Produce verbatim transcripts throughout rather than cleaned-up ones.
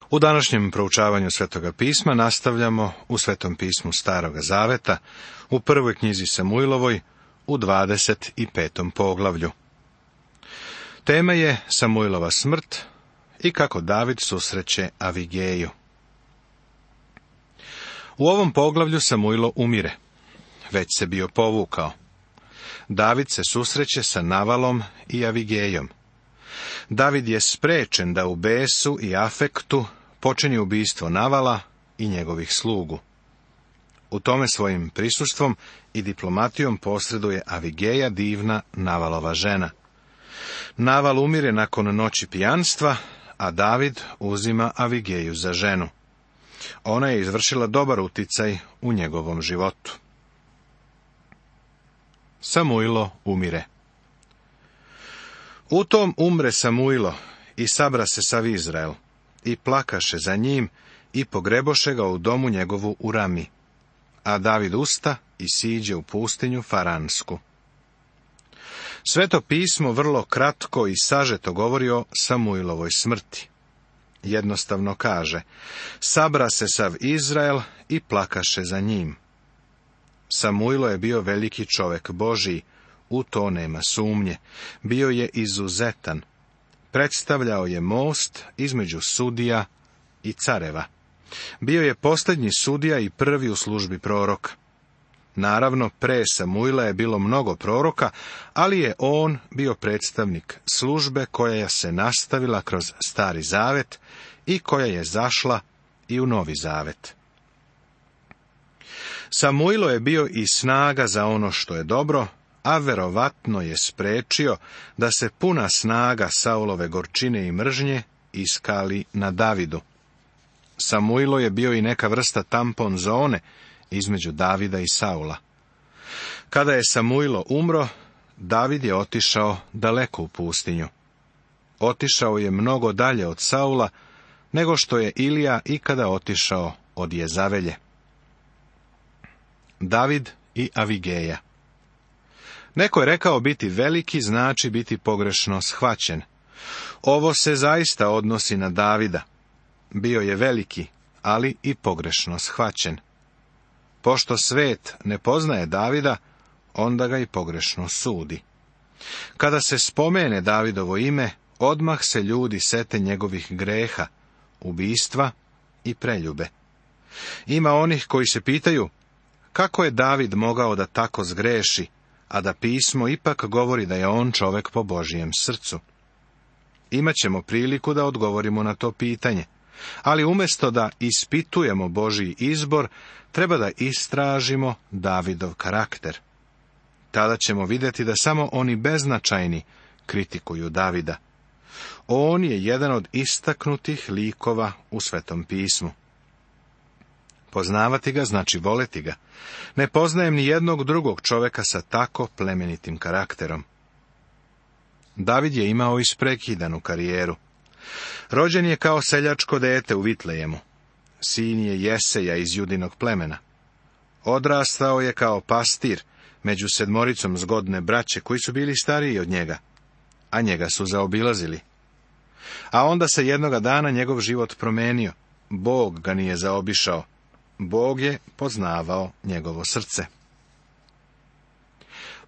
U današnjem proučavanju Svetoga pisma nastavljamo u Svetom pismu Staroga zaveta, u prvoj knjizi Samuilovoj, u dvadeset petom poglavlju. Tema je Samuilova smrt i kako David susreće Avigeju. U ovom poglavlju Samuilo umire, već se bio povukao. David se susreće sa Navalom i Avigejom. David je sprečen da u besu i afektu počini ubistvo Navala i njegovih slugu. U tome svojim prisustvom i diplomatijom posreduje Avigeja, divna Navalova žena. Naval umire nakon noći pijanstva, a David uzima Avigeju za ženu. Ona je izvršila dobar uticaj u njegovom životu. Samuilo umire. U tom umre Samuilo i sabra se sav Izrael, i plakaše za njim, i pogreboše ga u domu njegovu u Rami. A David usta i siđe u pustinju Faransku. Sveto pismo vrlo kratko i sažeto govori o Samuilovoj smrti. Jednostavno kaže, sabra se sav Izrael i plakaše za njim. Samuilo je bio veliki čovek Božiji, u to nema sumnje. Bio je izuzetan. Predstavljao je most između sudija i careva. Bio je posljednji sudija i prvi u službi proroka. Naravno, pre Samuila je bilo mnogo proroka, ali je on bio predstavnik službe koja se nastavila kroz Stari zavet i koja je zašla i u Novi zavet. Samuilo je bio i snaga za ono što je dobro, a verovatno je sprečio da se puna snaga Saulove gorčine i mržnje iskali na Davidu. Samuilo je bio i neka vrsta tampon zone između Davida i Saula. Kada je Samuilo umro, David je otišao daleko u pustinju. Otišao je mnogo dalje od Saula, nego što je Ilija ikada otišao od Jezavelje. David i Avigeja. Neko je rekao biti veliki znači biti pogrešno shvaćen. Ovo se zaista odnosi na Davida. Bio je veliki, ali i pogrešno shvaćen. Pošto svet ne poznaje Davida, onda ga i pogrešno sudi. Kada se spomene Davidovo ime, odmah se ljudi sete njegovih greha, ubistva i preljube. Ima onih koji se pitaju, kako je David mogao da tako zgreši, a da pismo ipak govori da je on čovek po Božijem srcu. Imaćemo priliku da odgovorimo na to pitanje, ali umjesto da ispitujemo Božji izbor, treba da istražimo Davidov karakter. Tada ćemo vidjeti da samo oni beznačajni kritikuju Davida. On je jedan od istaknutih likova u Svetom pismu. Poznavati ga znači voleti ga. Ne poznajem ni jednog drugog čoveka sa tako plemenitim karakterom. David je imao isprekidanu karijeru. Rođen je kao seljačko dete u Vitlejemu. Sin je Jeseja iz Judinog plemena. Odrastao je kao pastir među sedmoricom zgodne braće koji su bili stariji od njega, a njega su zaobilazili. A onda se jednoga dana njegov život promenio. Bog ga nije zaobišao. Bog je poznavao njegovo srce.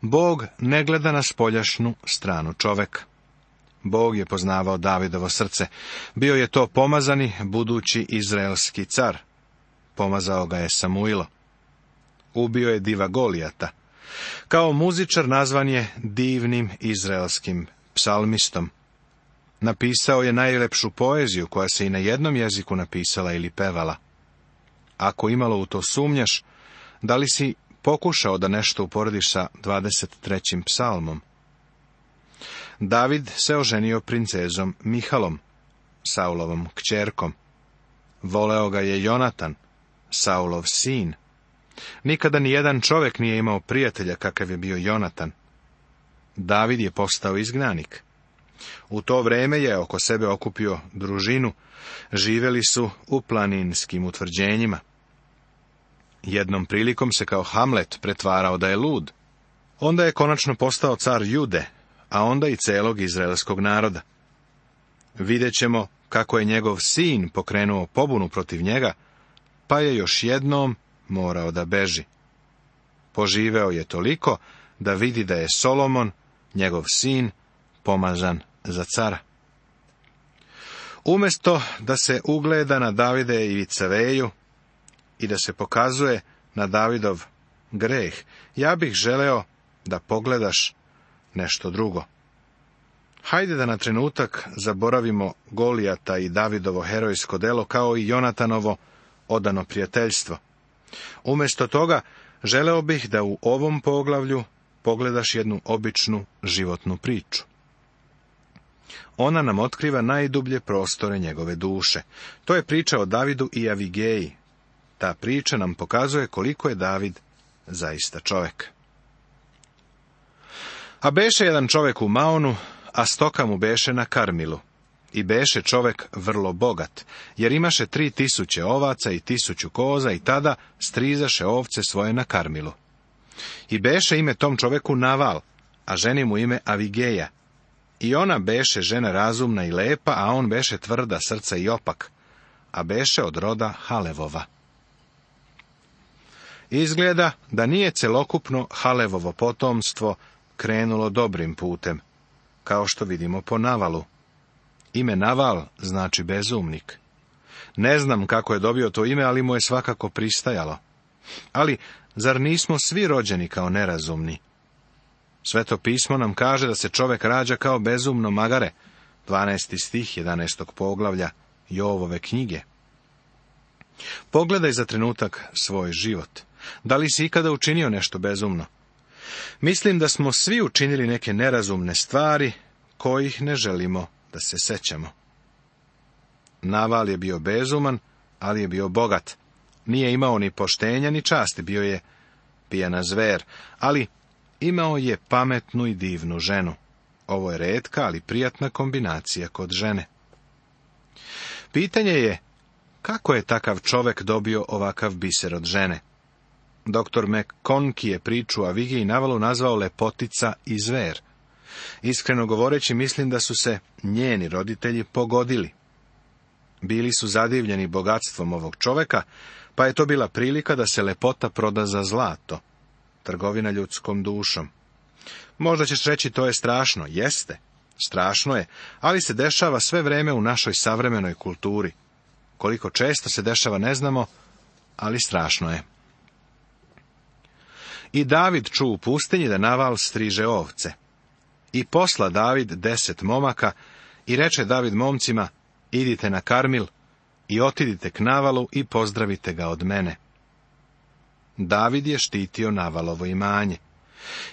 Bog ne gleda na spoljašnu stranu čoveka. Bog je poznavao Davidovo srce. Bio je to pomazani, budući izraelski car. Pomazao ga je Samuilo. Ubio je diva Golijata. Kao muzičar nazvan je divnim izraelskim psalmistom. Napisao je najlepšu poeziju koja se i na jednom jeziku napisala ili pevala. Ako imalo u to sumnjaš, da li si pokušao da nešto uporediš sa dvadeset trećim psalmom? David se oženio princezom Mihalom, Saulovom kćerkom. Voleo ga je Jonatan, Saulov sin. Nikada ni jedan čovjek nije imao prijatelja kakav je bio Jonatan. David je postao izgnanik. U to vreme je oko sebe okupio družinu, živjeli su u planinskim utvrđenjima. Jednom prilikom se kao Hamlet pretvarao da je lud. Onda je konačno postao car Jude, a onda i celog izraelskog naroda. Vidjet ćemo kako je njegov sin pokrenuo pobunu protiv njega, pa je još jednom morao da beži. Poživeo je toliko da vidi da je Solomon, njegov sin, pomazan za cara. Umjesto da se ugleda na Davide i Vicaveju i da se pokazuje na Davidov greh, ja bih želeo da pogledaš nešto drugo. Hajde da na trenutak zaboravimo Golijata i Davidovo herojsko delo, kao i Jonatanovo odano prijateljstvo. Umjesto toga, želeo bih da u ovom poglavlju pogledaš jednu običnu životnu priču. Ona nam otkriva najdublje prostore njegove duše. To je priča o Davidu i Avigeji. Ta priča nam pokazuje koliko je David zaista čovjek. A beše jedan čovjek u Maonu, a stoka mu beše na Karmilu. I beše čovjek vrlo bogat, jer imaše tri tisuće ovaca i tisuću koza, i tada strizaše ovce svoje na Karmilu. I beše ime tom čovjeku Naval, a ženi mu ime Avigeja. I ona beše žena razumna i lepa, a on beše tvrda srca i opak, a beše od roda Halevova. Izgleda da nije celokupno Halevovo potomstvo krenulo dobrim putem, kao što vidimo po Navalu. Ime Naval znači bezumnik. Ne znam kako je dobio to ime, ali mu je svakako pristajalo. Ali, zar nismo svi rođeni kao nerazumni? Sveto pismo nam kaže da se čovjek rađa kao bezumno magare, dvanaesti stih jedanaestog poglavlja Jovove knjige. Pogledaj za trenutak svoj život. Da li si ikada učinio nešto bezumno? Mislim da smo svi učinili neke nerazumne stvari, kojih ne želimo da se sećamo. Naval je bio bezuman, ali je bio bogat. Nije imao ni poštenja ni časti, bio je pijana zver, ali imao je pametnu i divnu ženu. Ovo je retka, ali prijatna kombinacija kod žene. Pitanje je, kako je takav čovjek dobio ovakav biser od žene? Doktor McConkie je priču o Avigiji i Navalu nazvao lepotica i zver. Iskreno govoreći, mislim da su se njeni roditelji pogodili. Bili su zadivljeni bogatstvom ovog čovjeka, pa je to bila prilika da se lepota proda za zlato. Trgovina ljudskom dušom. Možda ćeš reći, to je strašno. Jeste, strašno je, ali se dešava sve vreme u našoj savremenoj kulturi. Koliko često se dešava ne znamo, ali strašno je. I David ču u pustinji da Naval striže ovce. I posla David deset momaka i reče David momcima, idite na Karmil i otidite k Navalu i pozdravite ga od mene. David je štitio Navalovo imanje.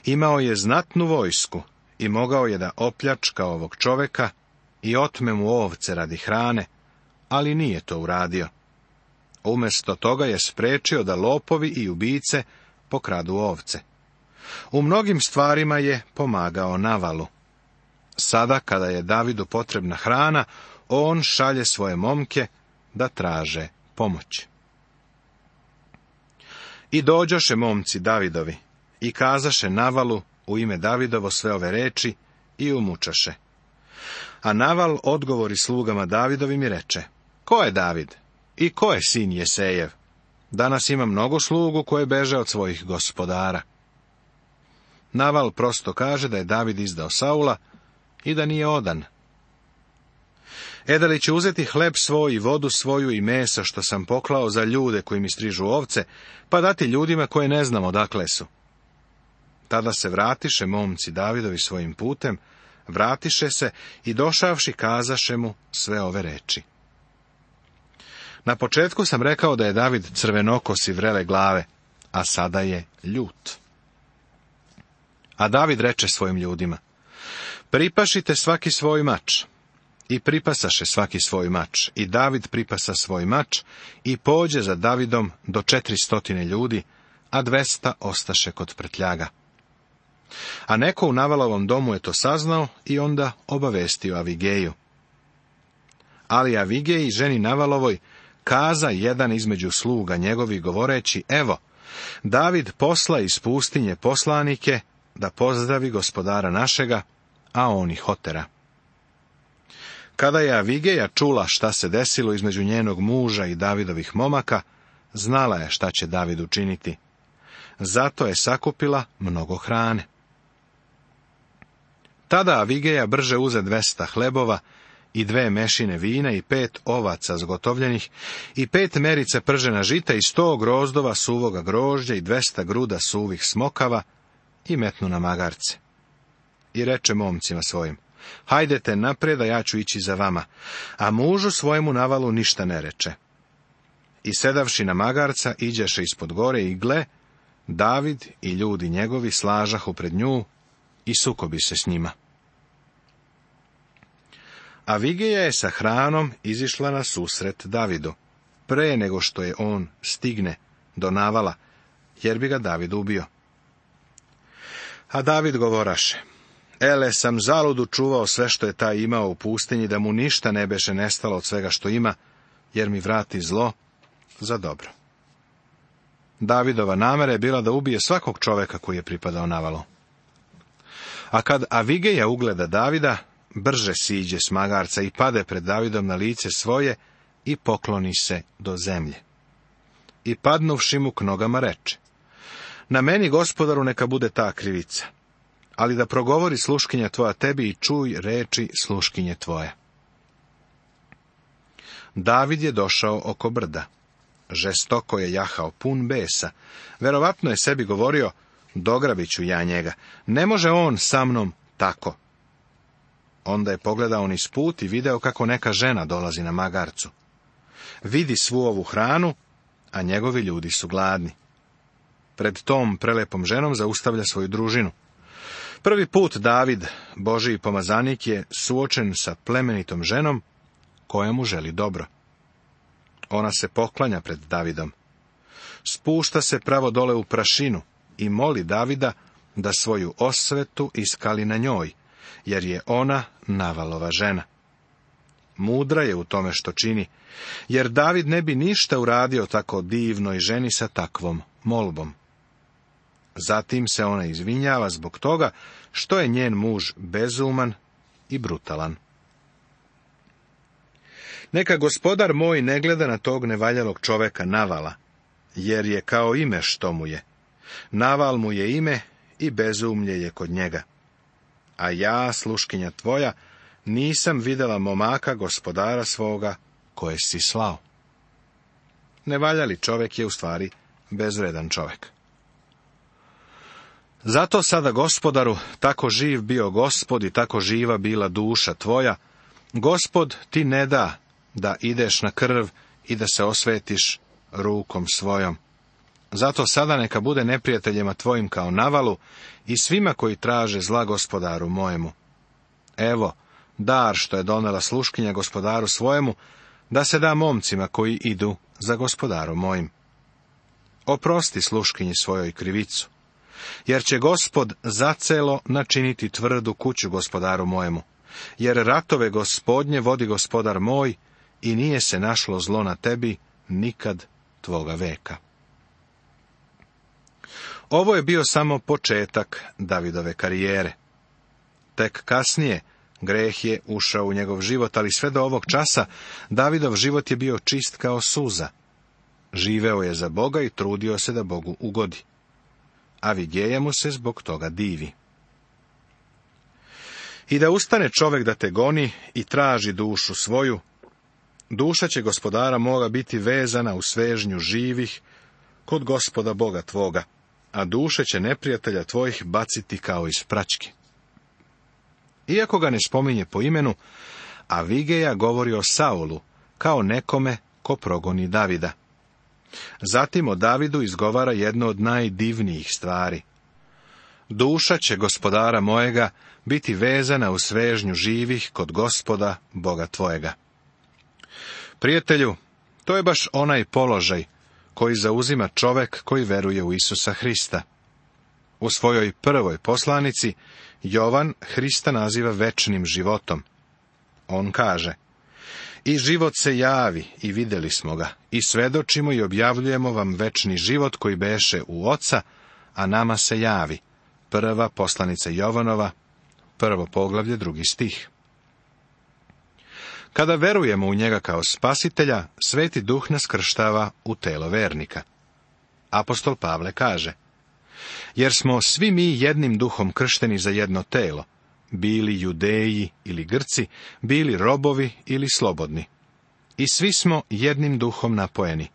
Imao je znatnu vojsku i mogao je da opljačka ovog čoveka i otme mu ovce radi hrane, ali nije to uradio. Umjesto toga je sprečio da lopovi i ubice pokradu ovce. U mnogim stvarima je pomagao Navalu. Sada, kada je Davidu potrebna hrana, on šalje svoje momke da traže pomoć. I dođoše momci Davidovi i kazaše Navalu u ime Davidovo sve ove reči i umučaše. A Naval odgovori slugama Davidovim i reče, ko je David i ko je sin Jesejev? Danas ima mnogo slugu koje beže od svojih gospodara. Naval prosto kaže da je David izdao Saula i da nije odan. E da li će uzeti hleb svoj i vodu svoju i mesa što sam poklao za ljude koji mi strižu ovce, pa dati ljudima koje ne znam odakle su. Tada se vratiše momci Davidovi svojim putem, vratiše se i došavši kazaše mu sve ove reči. Na početku sam rekao da je David crvenokos i vrele glave, a sada je ljut. A David reče svojim ljudima, pripašite svaki svoj mač. I pripasaše svaki svoj mač, i David pripasa svoj mač, i pođe za Davidom do četiristotine ljudi, a dvesta ostaše kod prtljaga. A neko u Navalovom domu je to saznao i onda obavestio Avigeju. Ali Avigeji, ženi Navalovoj, kaza jedan između sluga njegovih govoreći, evo, David posla iz pustinje poslanike da pozdravi gospodara našega, a on ih otera. Kada je Avigeja čula šta se desilo između njenog muža i Davidovih momaka, znala je šta će David učiniti. Zato je sakupila mnogo hrane. Tada Avigeja brže uze dvesta hlebova i dve mešine vina i pet ovaca zgotovljenih i pet merica pržena žita i sto grozdova suvoga grožđa i dvesta gruda suvih smokava i metnu na magarce. I reče momcima svojim: hajdete naprijed, a ja ću ići za vama, a mužu svojemu Navalu ništa ne reče. I sedavši na magarca, iđeše ispod gore i gle, David i ljudi njegovi slažahu pred nju i sukobi se s njima. Avigeja je sa hranom izišla na susret Davidu, pre nego što je on stigne do Navala, jer bi ga David ubio. A David govoraše: ele sam zaludu čuvao sve što je taj imao u pustinji, da mu ništa ne beše nestalo od svega što ima, jer mi vrati zlo za dobro. Davidova namera je bila da ubije svakog čoveka koji je pripadao Navalu. A kad Avigeja ugleda Davida, brže siđe s magarca i pade pred Davidom na lice svoje i pokloni se do zemlje. I padnuvši mu k nogama reče: na meni, gospodaru, neka bude ta krivica, ali da progovori sluškinja tvoja tebi i čuj reči sluškinje tvoje. David je došao oko brda. Žestoko je jahao, pun besa. Verovatno je sebi govorio: dograbit ću ja njega, ne može on sa mnom tako. Onda je pogledao niz put i video kako neka žena dolazi na magarcu. Vidi svu ovu hranu, a njegovi ljudi su gladni. Pred tom prelepom ženom zaustavlja svoju družinu. Prvi put David, Božiji pomazanik, je suočen sa plemenitom ženom koja mu želi dobro. Ona se poklanja pred Davidom. Spušta se pravo dole u prašinu i moli Davida da svoju osvetu iskali na njoj, jer je ona Navalova žena. Mudra je u tome što čini, jer David ne bi ništa uradio tako divnoj ženi sa takvom molbom. Zatim se ona izvinjava zbog toga što je njen muž bezuman i brutalan. Neka gospodar moj ne gleda na tog nevaljalog čoveka Navala, jer je kao ime što mu je. Naval mu je ime i bezumlje je kod njega. A ja, sluškinja tvoja, nisam vidjela momaka gospodara svoga koje si slao. Nevaljali čovek je u stvari bezvredan čovek. Zato sada, gospodaru, tako živ bio Gospod i tako živa bila duša tvoja, Gospod ti ne da da ideš na krv i da se osvetiš rukom svojom. Zato sada neka bude neprijateljima tvojim kao Navalu i svima koji traže zla gospodaru mojemu. Evo, dar što je donela sluškinja gospodaru svojemu, da se da momcima koji idu za gospodarom mojim. Oprosti sluškinji svojoj krivicu, jer će Gospod zacelo načiniti tvrdu kuću gospodaru mojemu, jer ratove Gospodnje vodi gospodar moj i nije se našlo zlo na tebi nikad tvoga veka. Ovo je bio samo početak Davidove karijere. Tek kasnije greh je ušao u njegov život, ali sve do ovog časa Davidov život je bio čist kao suza. Živeo je za Boga i trudio se da Bogu ugodi. Avigeja mu se zbog toga divi. I da ustane čovek da te goni i traži dušu svoju, duša će gospodara moga biti vezana u svežnju živih kod Gospoda Boga tvoga, a duše će neprijatelja tvojih baciti kao iz praćke. Iako ga ne spominje po imenu, Avigeja govori o Saulu kao nekome ko progoni Davida. Zatim o Davidu izgovara jedno od najdivnijih stvari. Duša će gospodara mojega biti vezana u svežnju živih kod Gospoda Boga tvojega. Prijatelju, to je baš onaj položaj koji zauzima čovek koji veruje u Isusa Hrista. U svojoj prvoj poslanici Jovan Hrista naziva večnim životom. On kaže: i život se javi i vidjeli smo ga, i svedočimo i objavljujemo vam večni život koji beše u Oca, a nama se javi. Prva poslanica Jovanova, prvo poglavlje, drugi stih. Kada verujemo u njega kao spasitelja, Sveti Duh nas krštava u telo vernika. Apostol Pavle kaže: jer smo svi mi jednim duhom kršteni za jedno telo, bili Judeji ili Grci, bili robovi ili slobodni. I svi smo jednim duhom napojeni.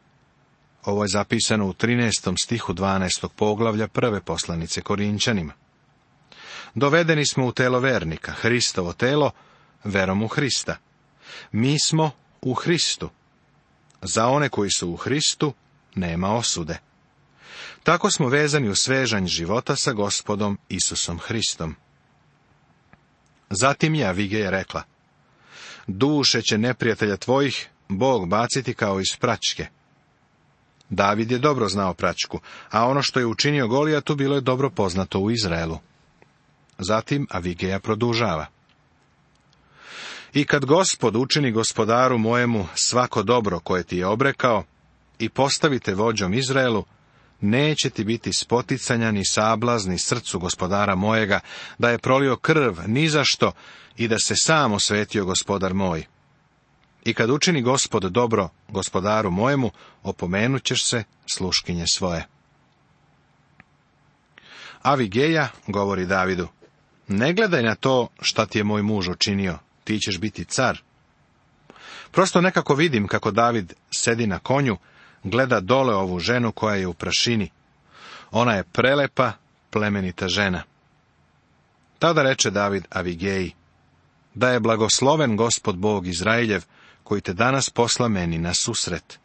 Ovo je zapisano u trinaestom stihu dvanaestog poglavlja prve poslanice Korinćanima. Dovedeni smo u telo vernika, Hristovo telo, verom u Hrista. Mi smo u Hristu. Za one koji su u Hristu nema osude. Tako smo vezani u svežanj života sa Gospodom Isusom Hristom. Zatim je Avigeja rekla: duše će neprijatelja tvojih Bog baciti kao iz praćke. David je dobro znao praćku, a ono što je učinio Golijatu bilo je dobro poznato u Izraelu. Zatim Avigeja produžava: i kad Gospod učini gospodaru mojemu svako dobro koje ti je obrekao i postavite vođom Izraelu, neće ti biti spoticanja ni sablazni srcu gospodara mojega, da je prolio krv ni za što i da se sam osvetio gospodar moj. I kad učini Gospod dobro gospodaru mojemu, opomenut ćeš se sluškinje svoje. Avigeja govori Davidu: ne gledaj na to šta ti je moj muž učinio, ti ćeš biti car. Prosto nekako vidim kako David sedi na konju, gleda dole ovu ženu koja je u prašini. Ona je prelepa, plemenita žena. Tada reče David Avigeji: da je blagosloven Gospod Bog Izraeljev, koji te danas posla meni na susret.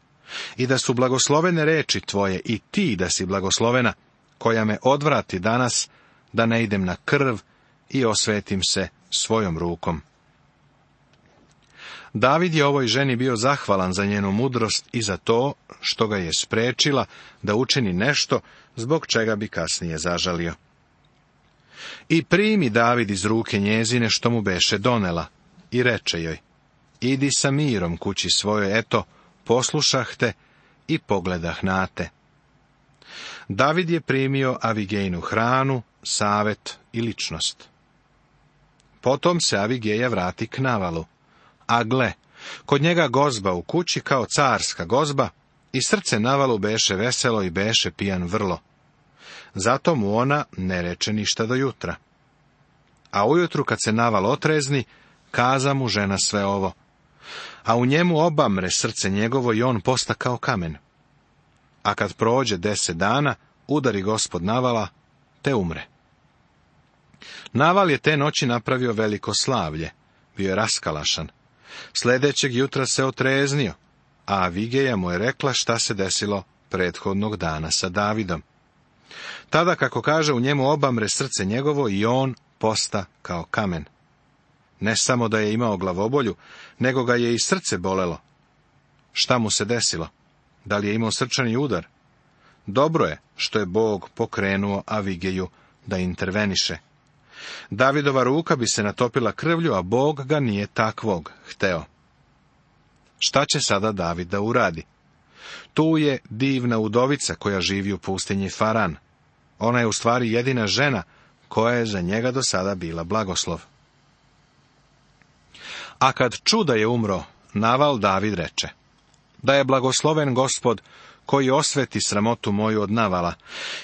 I da su blagoslovene reči tvoje i ti da si blagoslovena, koja me odvrati danas, da ne idem na krv i osvetim se svojom rukom. David je ovoj ženi bio zahvalan za njenu mudrost i za to što ga je sprečila da učini nešto zbog čega bi kasnije zažalio. I primi David iz ruke njezine što mu beše donela i reče joj: idi sa mirom kući svojoj, eto, poslušah te i pogledah na te. David je primio Avigejinu hranu, savet i ličnost. Potom se Avigeja vrati k Navalu, a gle, kod njega gozba u kući kao carska gozba, i srce Navalu beše veselo i beše pijan vrlo. Zato mu ona ne reče ništa do jutra. A ujutru kad se Naval otrezni, kaza mu žena sve ovo. A u njemu obamre srce njegovo i on posta kao kamen. A kad prođe deset dana, udari Gospod Navala, te umre. Naval je te noći napravio veliko slavlje, bio je raskalašan. Sljedećeg jutra se otreznio, a Avigeja mu je rekla šta se desilo prethodnog dana sa Davidom. Tada, kako kaže, u njemu obamre srce njegovo i on posta kao kamen. Ne samo da je imao glavobolju, nego ga je i srce bolelo. Šta mu se desilo? Da li je imao srčani udar? Dobro je što je Bog pokrenuo Avigeju da interveniše. Davidova ruka bi se natopila krvlju, a Bog ga nije takvog hteo. Šta će sada David da uradi? Tu je divna udovica koja živi u pustinji Faran. Ona je u stvari jedina žena koja je za njega do sada bila blagoslov. A kad ču da je umro, Naval David reče: da je blagosloven Gospod koji osveti sramotu moju od Navala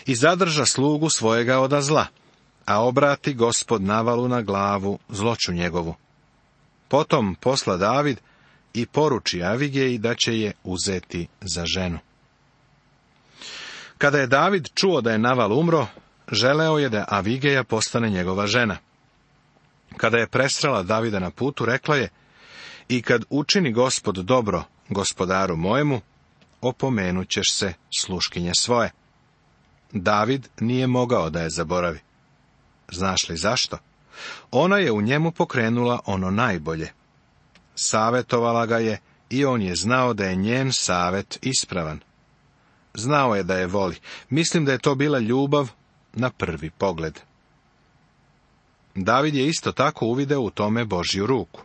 i zadrža slugu svojega oda zla, a obrati Gospod Navalu na glavu zloću njegovu. Potom posla David i poruči Avigeji da će je uzeti za ženu. Kada je David čuo da je Naval umro, želeo je da Avigeja postane njegova žena. Kada je presrela Davida na putu, rekla je: i kad učini Gospod dobro gospodaru mojemu, opomenut ćeš se sluškinje svoje. David nije mogao da je zaboravi. Znaš li zašto? Ona je u njemu pokrenula ono najbolje. Savjetovala ga je i on je znao da je njen savjet ispravan. Znao je da je voli. Mislim da je to bila ljubav na prvi pogled. David je isto tako uvideo u tome Božju ruku.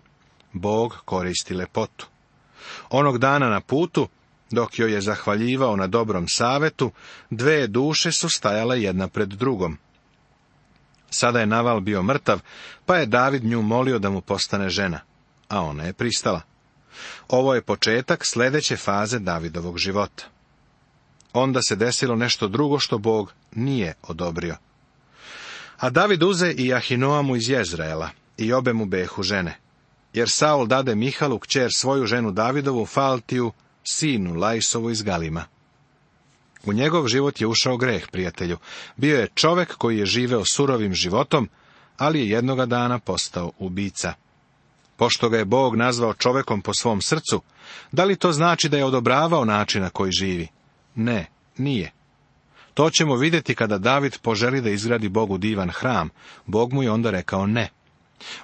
Bog koristi lepotu. Onog dana na putu, dok joj je zahvaljivao na dobrom savetu, dve duše su stajale jedna pred drugom. Sada je Naval bio mrtav, pa je David nju molio da mu postane žena, a ona je pristala. Ovo je početak sljedeće faze Davidovog života. Onda se desilo nešto drugo što Bog nije odobrio. A David uze i Ahinoamu iz Jezreela, i obe mu behu žene. Jer Saul dade Mihalu, kćer svoju ženu Davidovu, Faltiju, sinu Laisovu iz Galima. U njegov život je ušao greh, prijatelju. Bio je čovek koji je živeo surovim životom, ali je jednoga dana postao ubica. Pošto ga je Bog nazvao čovekom po svom srcu, da li to znači da je odobravao način na koji živi? Ne, nije. To ćemo vidjeti kada David poželi da izgradi Bogu divan hram. Bog mu je onda rekao ne.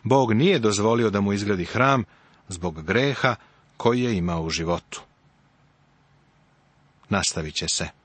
Bog nije dozvolio da mu izgradi hram zbog greha koji je imao u životu. Nastavit će se.